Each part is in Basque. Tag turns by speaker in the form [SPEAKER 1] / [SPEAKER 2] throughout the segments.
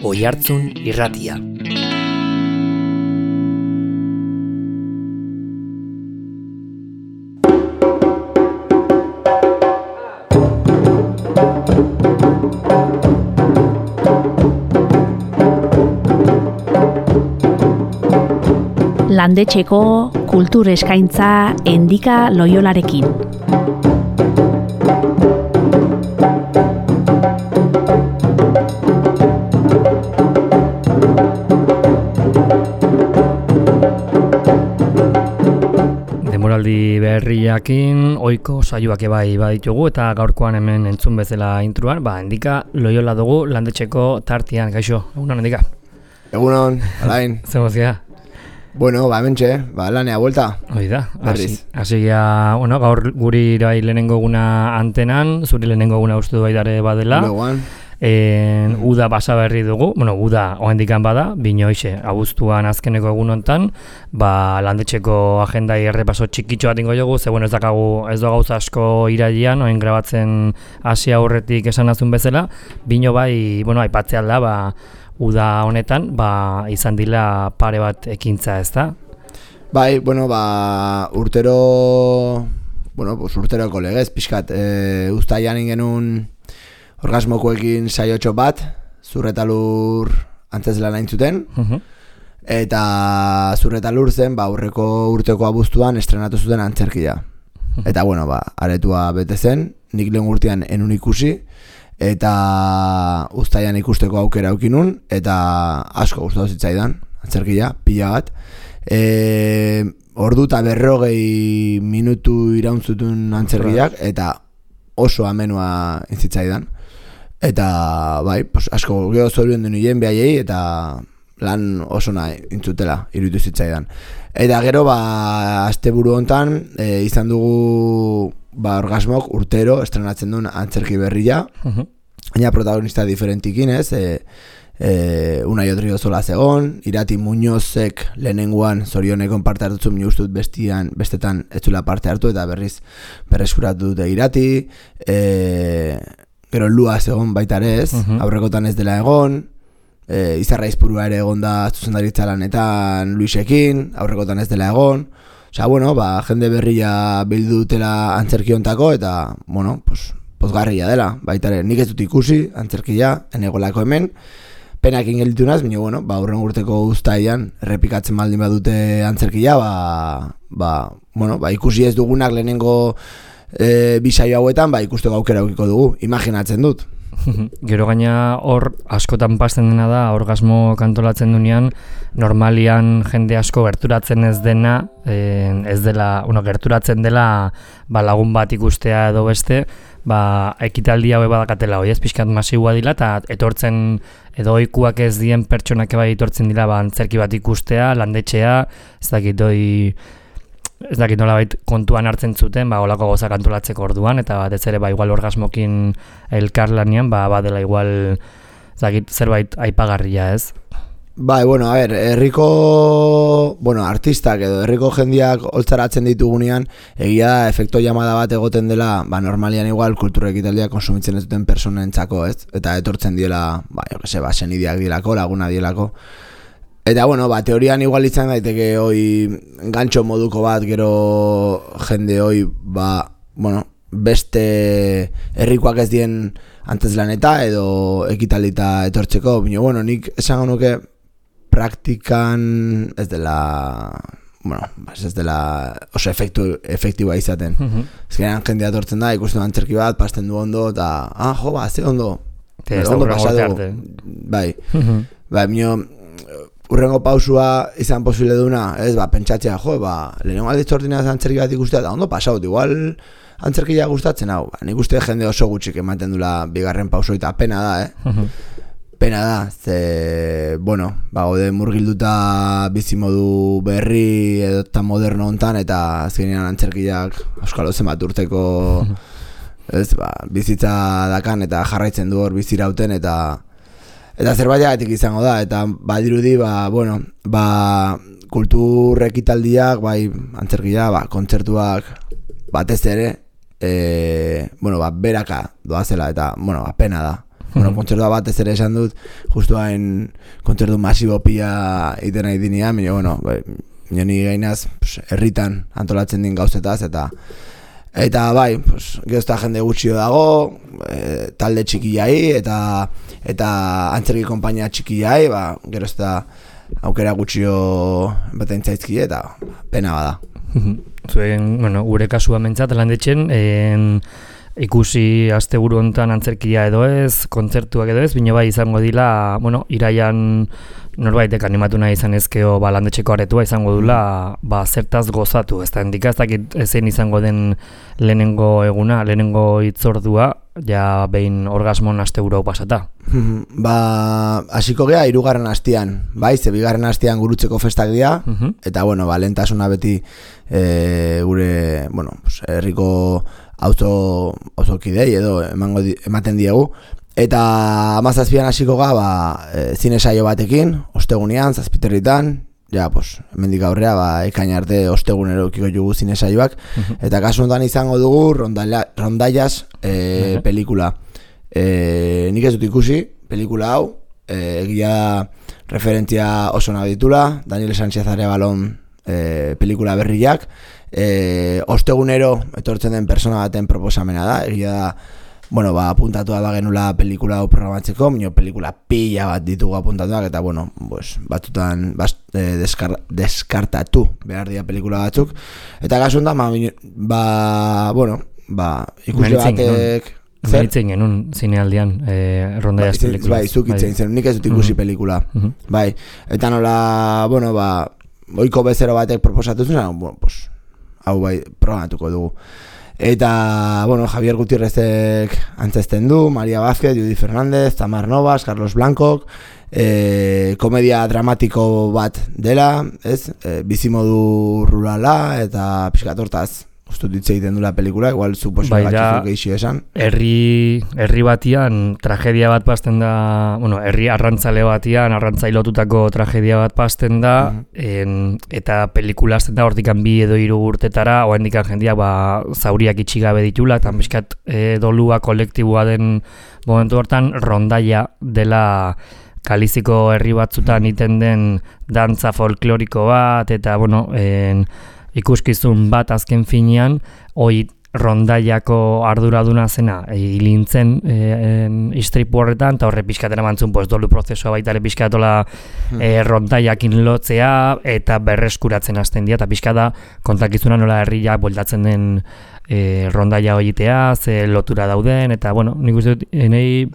[SPEAKER 1] Oihartzun Irratia.
[SPEAKER 2] Landetxeko kultur eskaintza Endika Loiolarekin.
[SPEAKER 1] Demoraldi berriakin ohiko saioak bai baditugu eta gaurkoan hemen entzun bezala intruan, Endika Loiola dugu landetxeko tartean. Kaixo, egunon Endika.
[SPEAKER 3] Egunon, alain.
[SPEAKER 1] Zemozia.
[SPEAKER 3] Bueno, hementxe, lanea vuelta.
[SPEAKER 1] Hoi da, hasi gaur guri bai lehenengo eguna antenan, zuri lehenengo eguna uste du baidare badela.
[SPEAKER 3] Legoan.
[SPEAKER 1] Uda basa berri dugu, uda oendikan bada, binoixe, abuztuan azkeneko egun hontan, landetxeko agendai errepaso txikitxo bat ingo jogu, ze ez dakagu, ez do gauza asko irailean, oen grabatzen hasi aurretik esan azun bezala, bino bai, aipatzea da, uda honetan, izan dila pare bat ekintza, ez da?
[SPEAKER 3] Bai, urteroko legez, pixkat, uztaian ingenun orgasmokoekin saiotxo bat, Zurretalur antzeslan hain zuten, eta Zurretalur zen, aurreko urteko abuztuan estrenatu zuten antzerkia. Eta, aretua bete zen, nik lehen urtean enun ikusi, eta uztaian ikusteko aukera aukinun, eta asko gustatu zitzaidan, antzerkia, pila bat. Ordu eta 40 minutu irauntzutun antzerkiak, eta oso amenua intzitzaidan. Eta, asko geho zorien duen nien behaiei, eta lan oso nahi intzutela, iruditu zitzaidan. Eta gero, asteburu hontan, izan dugu orgasmok urtero estrenatzen duen antzerki berria, baina protagonista diferentikin, ez? Unai Odrio Zola zegon, Irati Muñozek lehenengoan zorionekon parte hartutzen, minustut bestetan ez zula parte hartu, eta berreskuratu dute Irati, gero Lua zegon baita ere ez, aurrekotan ez dela egon, Izarra Izpurua ere egon da zuzendaritza lanetan Luisekin, aurrekotan ez dela egon. Jende berria bildu dutela antzerkiontako eta, pozgarria dela, baita ere. Nik ez dut ikusi antzerkia, enegolako hemen, penakin gelditu naz, baina, urren urteko uztaian errepikatzen baldin badute antzerkia, ikusi ez dugunak lehenengo bisaio hauetan, ikusteko aukera aukiko dugu, imaginatzen dut.
[SPEAKER 1] Gero gaina hor askotan pasten dena da, orgasmo kantolatzen dunean, normalian jende asko gerturatzen ez dena, gerturatzen dela lagun bat ikustea edo beste, ekitaldi haue badakatela, ez pixkat masiua dila, eta etortzen edo ohikuak ez dien pertsonak etortzen dira antzerki bat ikustea, landetxea, ez dakit nolabait kontuan hartzen zuten, olako gauza kantolatzeko orduan, eta batez ere igual orgasmokin elkarlanean, badela igual zerbait aipagarria, ez?
[SPEAKER 3] Herriko artistak edo herriko jendiak holtzaratzen ditugunean, egia da efekto llamada bat egoten dela, normalian igual kultura ekitaldia konsumitzen ez duten personentzako, ez? Eta etortzen diela, senideak dielako, laguna dielako. Eta, teorian igual izan daiteke gantxo moduko bat, gero jende beste herrikoak ez dien antzeslaneta edo ekitalita etortzeko. Baina, nik esango nuke praktikan ez dela oso efektiboa izaten. Ezkenean jendea etortzen da, ikusten antzerki bat, pasten du ondo, eta, ze ondo. Ondo pasatu. Urrengo pausua izan posible duna, ez, pentsatzea, lehenengo alditzu ordinaz antzerki bat ikustea, eta ondo pasaut, igual antzerkia gustatzen hau. Nik uste jende oso gutxik ematen dula bigarren pauso, eta pena da, Pena da, gaude murgilduta bizimodu berri edo eta moderno hontan, eta azkenean antzerkiak euskalo zenbat urteko bizitza dakan, eta jarraitzen du hor bizirauten, eta zerbaitik izango da, eta badirudi, kultur ekitaldiak, antzerkia, kontzertuak batez ere, beraka doazela, eta, pena da. Bueno, kontzertua bat ez ere esan dut, justu hain kontzertu masibo pila iten nahi dinean, bueno, nini gainaz, herritan antolatzen din gauzetaz, eta bai, gehozta jende gutxio dago, talde txikiai, eta antzerki konpainia txikiai, gerozta aukera gutxio baten zaizki, eta pena bada.
[SPEAKER 1] Zuen, bueno, gure kasua mentzat, landetxen, ikusi asteburu hontan antzerkia edo ez, kontzertuak edo ez, bino bai izango dila, bueno, iraian norbaitek animatu nahi izan ezkeo landetxeko aretua izango dula, zertaz gozatu, ez da, endika ez dakit ezein izango den lehenengo eguna, lehenengo hitzordua, ja behin orgasmon asteburu pasata.
[SPEAKER 3] Hasiko gea 3. astean, bai, ze 2. astean gurutzeko festak dira, eta bueno, lehentasuna beti gure, bueno, herriko auzokidei edo ematen diegu, eta 17an hasiko ga zine saio batekin, ostegunean, 7:00, ja, hemendik aurrea ekain arte ostegunero ukiko jugu zine saioak, eta kasu honetan izango dugu Rondallas pelikula. Nik ez dut ikusi pelikula hau, egia referentzia oso nahi ditula, Daniel Sánchez Arebalon pelikula berriak, ostegunero etortzen den persona baten proposamena da, egia da, bueno, apuntatua da genula pelikula hau programatzeko, pelikula pila bat ditugu apuntatuak, eta bueno, batzutan deskartatu behar dira pelikula batzuk, eta gasundan, bueno, ikusi batek...
[SPEAKER 1] Zeritzen genuen zinealdian Rondallas pelikula.
[SPEAKER 3] Bai, zukitzen zen, nik ez dut ikusi pelikula. Bai, eta nola, bueno, oiko bezero batek proposatu zen, bueno, hau bai, programatuko dugu. Eta, bueno, Javier Gutiérrezek antzesten du, Maria Vázquez, Judy Fernández, Tamar Novas, Carlos Blancok, komedia dramatiko bat dela, ez? Bizimodu rurala eta pixkatortaz ustut hitz egiten dula pelikula, igual suposo batxuzuk eixio esan.
[SPEAKER 1] Herri batian tragedia bat pasten da, bueno, herri arrantzale batian, arrantzailotutako tragedia bat pasten da, eta pelikula azten da hortikan 2 edo 3 urtetara, oendikan jendia zauriak itxigabe ditula, eta miskat dolua kolektibua den momentu hortan, Rondaia dela Kaliziko herri batzutan iten den dantza folkloriko bat, eta, bueno, ikuskizun bat azken finean, hoi Rondaiako arduraduna zena hilintzen istripu horretan, eta horre pixkatera mantzun dolu prozesua baita ere pixkatola Rondaiakin lotzea eta berreskuratzen hasten dira, eta pixkada kontakizuna nola herriak boldatzen den Rondaia hoitea, ze lotura dauden, eta bueno, nik uste dut, nahi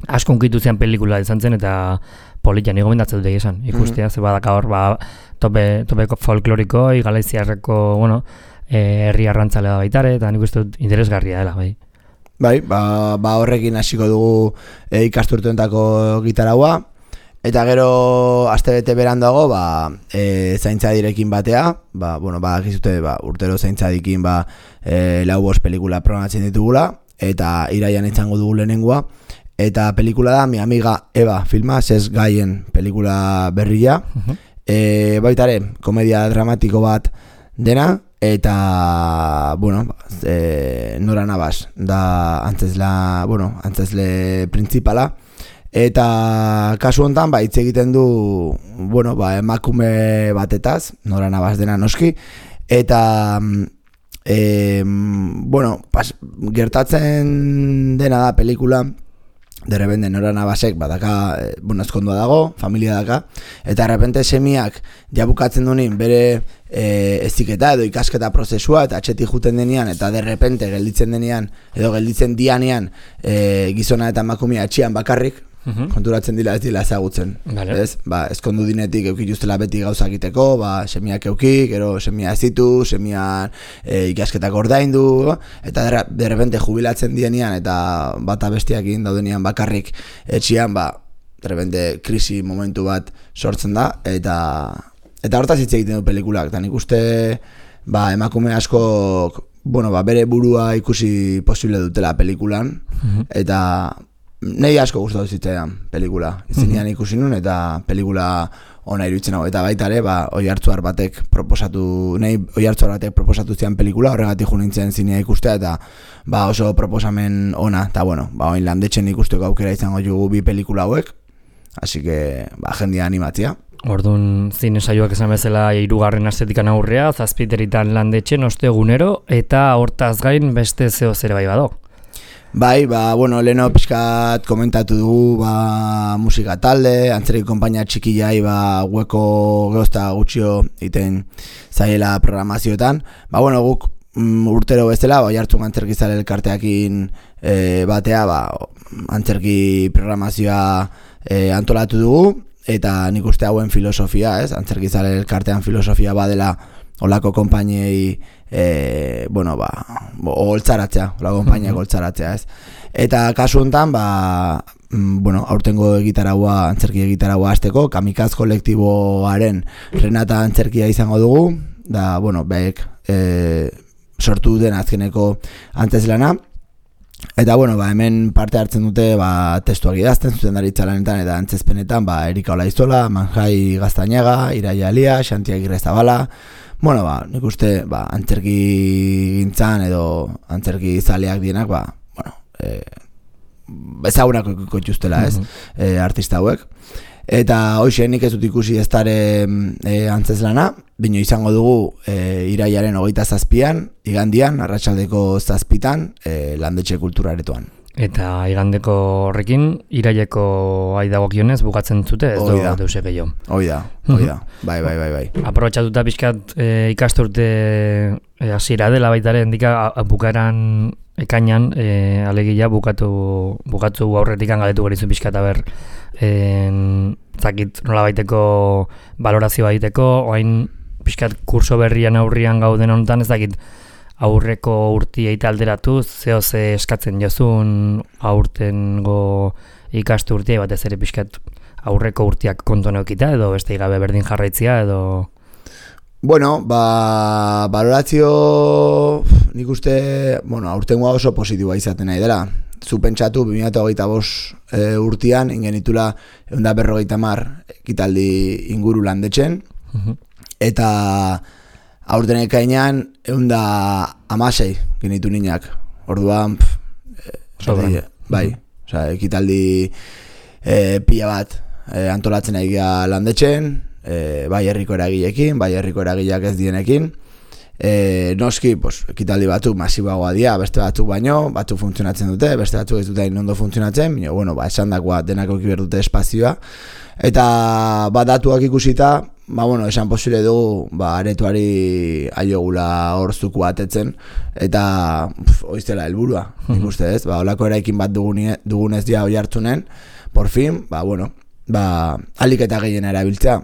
[SPEAKER 1] asko unkitu zean pelikula izan zen, eta politia nigo mendatzen dut esan, ikustea, ze badaka hor, topeko folkloriko, Galiziarreko, bueno, herri arrantzalea baitare, eta nik uste dut interesgarria dela, bai.
[SPEAKER 3] Bai, horrekin hasiko dugu ikasturtuentako gitaraua, eta gero astebete berandago, zaintzadirekin batea, akizute, urtero zaintzadikin 4-5 pelikula programatzen ditugula, eta iraian izango dugu lehenengoa, eta pelikula da Mi Amiga Eva filma, Sez Gaien pelikula berria, baitare, komedia dramatiko bat dena, eta, bueno, Nora Navas da antzesle principala, eta kasu honetan, hitz egiten du, bueno, emakume batetaz, Nora Navas dena noski, eta, bueno, gertatzen dena da pelikula, derrepente Nora Navasek badaka, bueno, ezkondua dago, familia daka, eta derrepente semiak jabukatzen dunin bere eziketa edo ikasketa prozesua, eta atxetik juten denean, eta derrepente gelditzen denean, edo gelditzen dianean gizona eta emakumea etxean bakarrik, konturatzen dila ez dila ezagutzen. Ez? Ezkondu dinetik eukituztela beti gauza egiteko, semiak eukik, gero semia ez ditu, semian ikasketak ordaindu, eta derrepente jubilatzen dienean, eta bata bestiakin daudenean bakarrik etxean, derrepente krisi momentu bat sortzen da, eta hortaz hitz egiten du pelikulak, eta nik uste emakume asko, bueno, bere burua ikusi posible dutela pelikulan, eta nahi asko gustatu zitzaidan pelikula. Izinean ikusi nun, eta pelikula ona iruditzen hau, eta baita ere, Oiartzuar batek proposatu zian pelikula, horregatik jo nintzen zinea ikustea, eta oso proposamen ona, eta oin Landetxen ikusteko aukera izango jugu bi pelikula hauek, así que, jendia animatzia.
[SPEAKER 1] Orduan zine saioak esan bezala 3. astetikan aurrea, Zazpiteritan Landetxen ostegunero, eta hortaz gain beste zeo zere bai bado.
[SPEAKER 3] Bai, leheno pixkat komentatu dugu, musika talde, antzerki konpainia txikilai, hueko gehozta gutxio iten zaiela programazioetan. Guk urtero bezala, Oiartzun antzerkizale elkarteakin batea, antzerki programazioa antolatu dugu, eta nik uste hauen filosofia, antzerkizale elkartean filosofia badela olako konpainiei holtzaratzea, olako konpainiak holtzaratzea, Eta kasu honetan, aurtengo antzerki egitaraua hasteko, Kamikaz kolektiboaren Renata antzerkia izango dugu, da, behek sortu den azkeneko antzezlana. Eta, hemen parte hartzen dute, testuak idazten, zuzendaritza lanetan eta antzezpenetan, Erika Olaizola, Manjai Gaztañaga, Iraia Alia, Xanti Agirre Zabala. Nik uste, antzerki gintzan edo antzerki zaleak dienak, ezagunak ikutxustela, artista hauek. Eta hoxe nik ez dut ikusi eztare antzezlana, bino izango dugu iraiaren 27an, igandian, arratsaldeko 7:00, Landetxe Kulturaretoan. Eta
[SPEAKER 1] igandeko horrekin, iraileko dagokionez bukatzen zute, ez deuse gehiago.
[SPEAKER 3] Hoi da, bai.
[SPEAKER 1] Aprobetxatuta pixkat ikasturte hasiera dela baitare, endika bukaeran ekainan, alegia bukatu aurretik galetu gerizu pixkat, zakit nola baiteko valorazio baiteko, oain pixkat kurso berrian aurrian gauden honetan, ez dakit aurreko urtiei alderatuz, ze eskatzen jozun aurtengo ikastu urtiei, batez ere pixkat aurreko urtiak konton eukita, edo beste gabe berdin jarraitzia, edo...
[SPEAKER 3] Valorazio nik uste, aurtengoa oso positiboa izaten nahi dela. Zu pentsatu 2025 urtean ingenitula 150 ekitaldi inguru Landetxen, eta aurten ekainean 116 genitu ninak. Orduan, ekitaldi pila bat antolatzen egia Landetxen, bai herriko eragileekin, bai herriko eragileak ez dienekin. Noski, ekitaldi batzuk masiboagoa dira, beste batzuk baino, batzuk funtzionatzen dute, beste batzuk ez dute ondo funtzionatzen, esan dagoa denako ekibert dute espazioa. Eta datuak ikusita, esan posible dugu, aretuari aiogula hor zuku batetzen, eta oiztela helburua, nik uste ez, olako eraikin bat dugunez dia Oiartzunen, por fin, alik eta gehien erabiltzea.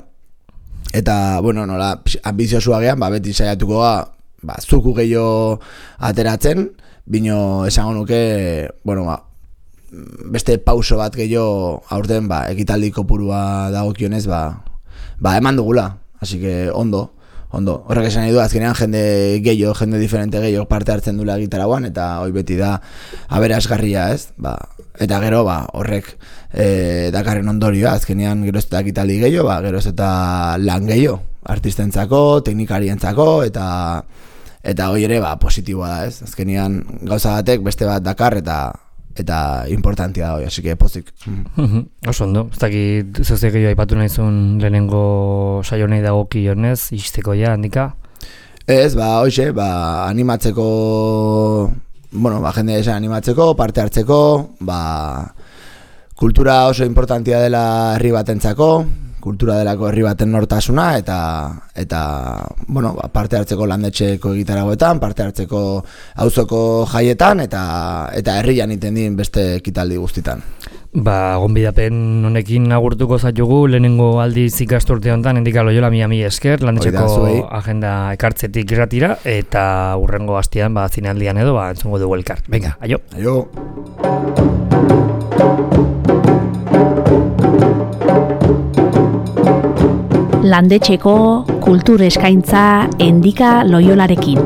[SPEAKER 3] Eta, nola, ambiziosu gean, beti saiatuko zuku gehiago ateratzen, bino esango nuke, beste pauso bat gehiago aurten, ekitaldi kopurua dagokionez, eman dugula, así que ondo. Horrek esan nahi du, azkenean jende diferente gehiago parte hartzen dula gitarauan, eta hoi beti da aberasgarria, ez? Eta gero, horrek dakarren ondorioa, azkenean geroz eta ekitaldi gehiago, geroz eta lan gehiago, artistentzako, teknikarientzako, eta hoi ere, positiboa da, ez? Azkenean gauza batek beste bat dakar, eta importantia da hoi, así que pozik.
[SPEAKER 1] Oso ondo, ez dakit zeuze gehiago aipatu nahizun lehenengo saio nahi dagokionez, izteko ja, handika?
[SPEAKER 3] Ez, hoxe, animatzeko, jende esan animatzeko, parte hartzeko, kultura oso importantia dela herri batentzako, kultura delako herri baten nortasuna, eta parte hartzeko Landetxeko egitaragoetan, parte hartzeko auzoko jaietan, eta herrian iten din beste ekitaldi guztitan.
[SPEAKER 1] Gonbidapen honekin agurtuko zaitugu, lehenengo aldiz ikasturte honetan, endika Loiola mi esker, Landetxeko agenda ekartzetik irratira, eta urrengo hastian, zinealdian edo, entzungo dugu elkar. Venga, aio!
[SPEAKER 3] Aio!
[SPEAKER 2] Landetxeko kultur eskaintza Endika Loiolarekin.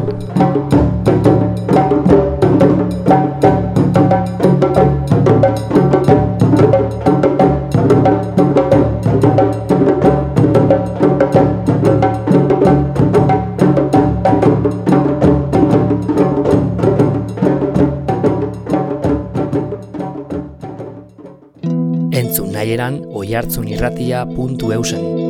[SPEAKER 1] nahi eran oihartzunirratia.eusen.